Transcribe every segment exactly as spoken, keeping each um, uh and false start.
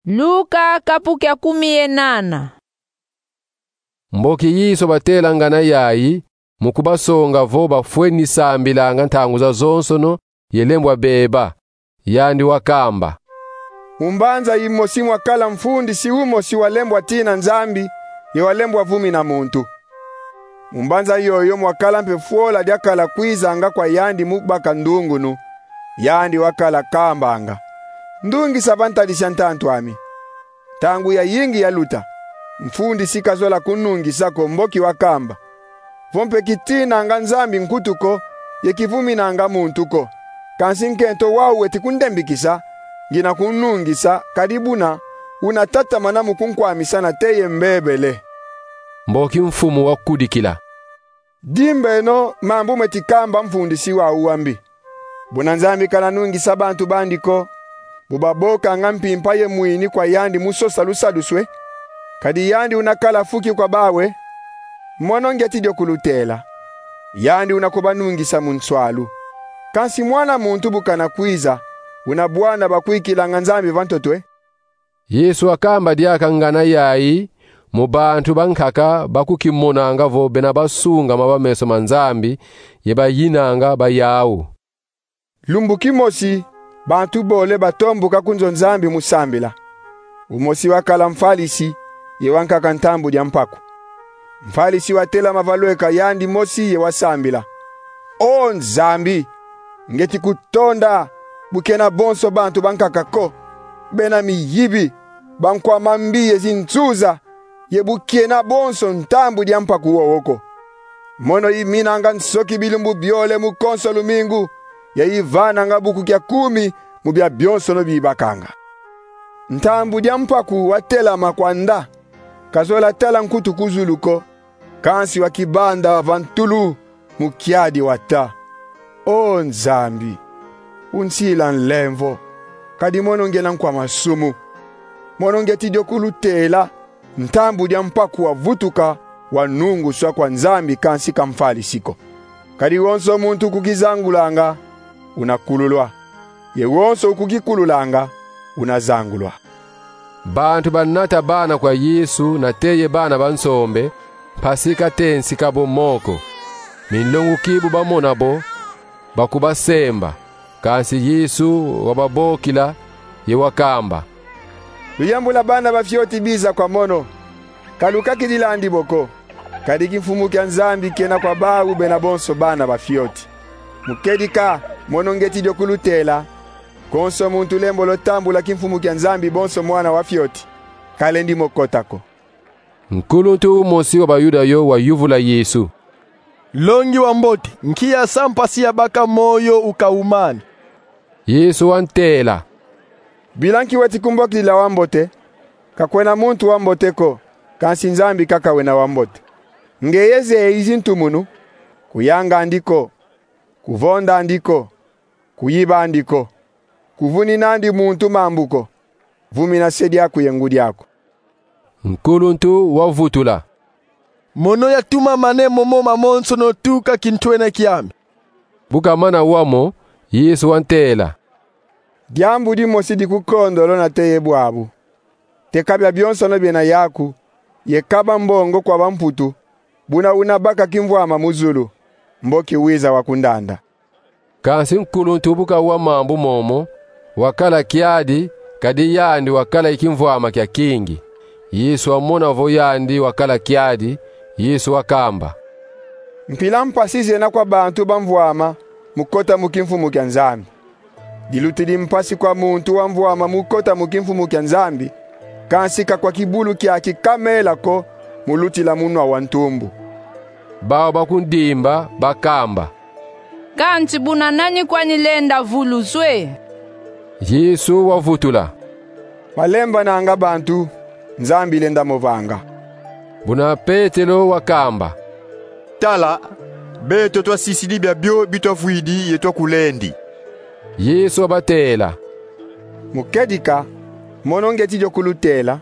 Luka kapu kia kumi ye nana. Mboki Yesu batela ngana yayi, mu kubasonga vo bafweni sambilanga ntangu zazonsono ye lembwa beba. Yandi wakamba: Mu mbanza yimosi mwakala mfundisi umosi walembwa tina Nzambi, ye walembwa vumina muntu. Mu mbanza yoyo mwakala mpe fwola diakala kwizanga kwa yandi mu baka ndungunu. Yandi wakala kambanga: Ndungisa va ntadisi a ntantu ami. Ntangu yayingi yaluta, mfundisi kazola kunungisa ko, mboki wakamba: Vo mpe kitinanga Nzambi nkutu ko, ye kivuminanga muntu ko, kansi nkento wau weti kundembikisa, ngina kunungisa, kadi buna unatatamana mu kunkwamisa nateye mbebele. Mboki mfumu wakudikila: Dimbeno mambu meti kamba mfundisi wau wambi. Buna Nzambi kana nungisa bantu bandi ko, bu babokanga mpimpa ye mwini kwa yandi mu sosa lusaduswe, kadi yandi una kala fuki kwa bawe, mono ngieti dio kulutela. Yandi una kubanungisa mu nswalu. Kansi Mwana muntu bu kana kwiza, una bwana bakwikilanga Nzambi va ntotwe? Yesu wakamba diaka ngana yayi mu bantu bankaka bakukimonanga vo bena basungama va meso ma Nzambi, ye bayinanga ba yau. Lumbu kimosi, bantu bole batombuka ku nzo Nzambi mu sambila. Umosi wakala mfalisi, ye wankaka ntambu dia mpaku. Mfalisi watelama va lweka yandi mosi ye wasambila: O Nzambi, ngieti kutonda bu kena bonso bantu bankaka ko, bena miyibi, bankwa mambi ye zinsuza, ye bu kena bonso ntambu dia mpaku wowo ko. Mono iminanga nsoki bilumbu biole mu konso lumingu, ye ivananga buku kia kumi mu bia bionsono bibakanga. Ntambu dia mpaku watelama kwanda, kazola tala nkutu ku zulu ko, kansi wakibanda va ntulu mu kiadi wata: O Nzambi, unsila nlemvo, kadi mono ngiena nkwa masumu. Mono ngieti dio kulutela, ntambu dia mpaku wavutuka, wanunguswa kwa Nzambi, kansi ka mfalisi ko. Kadi wonso muntu ukukizangulanga, una kululwa. Ye wonso ukukikululanga, una zangulwa. Bantu banata bana kwa Yesu nateye bana ba nsombe, mpasi katensi kabo moko. Minlonguki bu bamona bo, bakubasemba. Kansi Yesu wababokila, ye wakamba: Luyambula bana ba fioti biza kwa mono, ka lukakidilandi bo ko. Kadi kimfumu kia Nzambi kena kwa bau bena bonso bana ba fioti. Mu kedika, mono ngieti dio kulutela: konso muntu lembolo tambula kimfumu kia Nzambi bonso mwana wa fioti, kalendi mo kota ko. Nkuluntu umosi wa Bayuda yo wayuvula Yesu: Nlongi wa mbote, nki yasa mpasi yabaka moyo ukaumana? Yesu wantela: Bila nki weti kumbokila wa mbote? Ka kwena muntu wa mbote ko, kansi Nzambi kaka wena wa mbote. Ngeye zeyi zintumunu: Kuyangandi ko, kuvondandi ko, kuyibandi ko, kuvuninandi muntu mambu ko, vumina se diaku ye ngudi aku. Nkuluntu wavutula: Mono yatumamane momo mamonsono tuka kintwena kiame. Bu kamana wamo, Yesu wantela: Diambu dimosi dikukondolo nateye bwabu: teka bia bionsono biena yaku, ye kaba mbongo kwa bamputu, buna una baka kimvwama mu zulu, mboki wiza wa kundanda. Kansi nkuluntu bu kawa mambu momo, wakala kiadi, kadi yandi wakala ye kimvwama kia kingi. Yesu wamona vo yandi wakala kiadi, Yesu wakamba: Mpila mpasi zena kwa bantu bamvwama mu kota mu kimfumu kia Nzambi. Dilutidi mpasi kwa muntu wamvwama mu kota mu kimfumu kia Nzambi, kansi ka kwa kibulu kiaki kamela ko mu lutila mu nwa wa ntumbu. Bau bakundimba bakamba: Kansi buna nani kwani lenda vuluswe? Yesu wavutula: Malembananga bantu, Nzambi lenda mo vanga. Buna Petelo wakamba: Tala, beto twasisidi biabio bi twavwidi ye twakulendi. Yesu wabatela: Mu kedika, mono ngieti dio kulutela: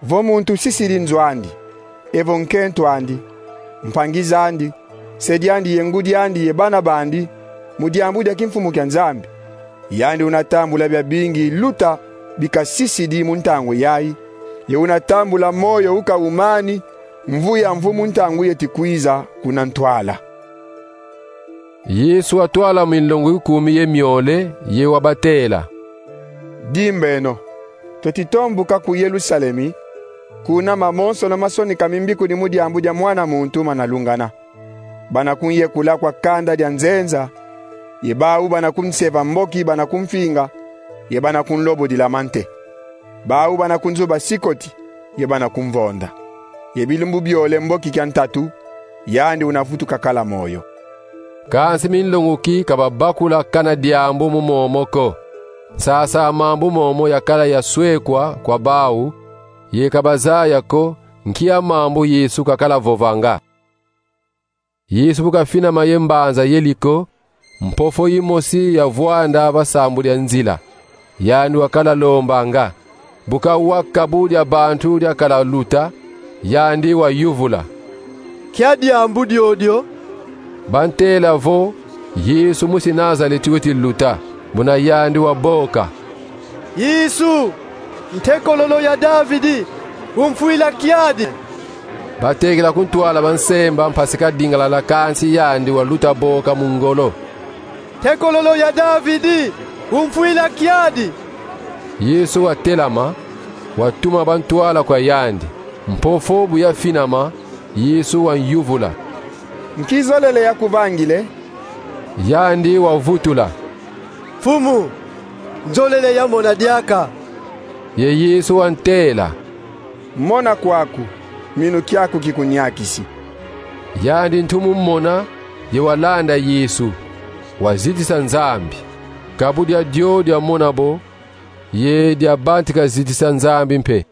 vo muntu sisidi nzo andi, evo nkento andi, mpangi zandi, se diandi ye ngudi andi ye bana bandi, mu diambu dia kimfumu kia Nzambi, yandi una tambula biabingi luta bikasisidi mu ntangu yayi, ye unatambula moyo ukawumani, mvu ya mvu mu ntangu yeti kwiza kuna ntwala. Yesu watwala minlongo ikumi ye miole, ye wabatela: Dimbeno, tweti tombuka ku Yerusalemi, kuna mamonsono masonikami mbikudi mu diambu dia Mwana muntu manalungana. Banakunyekula kwa kanda dia nzenza, ye bawu banakunseva mboki banakumfinga, ye banakunlobodila mante. Bawu banakunzuba sikoti, ye banakumvonda. Ye bilumbu biole mboki kia ntatu, yandi unavutuka kala moyo. Kansi minlonguki ka babakula kana diambu mu momo ko. Nsasa mambu momo yakala yaswekwa kwa bawu, ye ka bazaya ko nkia mambu Yesu kakala vovanga. Yesu bu kafinama ye mbanza Yeriko, mpofo yimosi yavwanda va sambu dia nzila. Yandi wakala lombanga. Bu kawa kabu dia bantu diakala luta, yandi wayuvula: Nkia diambu diodio? Bantela vo: Yesu musi Nazaleti weti luta. Muna yandi waboka: Yesu, ntekololo ya Davidi, umfwila kiadi! Batekela kuntwala bansemba mpasi kadingalala, kansi yandi waluta boka mu ngolo: Ntekololo ya Davidi, umfwila kiadi! Yesu watelama, watuma bantwala kwa yandi. Mpofo bu yafinama, Yesu wanyuvula: Nki zolele yakuvangile? Yandi wavutula: Mfumu, nzolele yamona diaka. Ye Yesu wantela: Mona kwaku, minu kiaku kikunyakisi. Yandi ntu mu mona, ye walanda Yesu, wazitisa Nzambi. Kabu dia dio diamona bo, ye diabantika zitisa Nzambi mpe.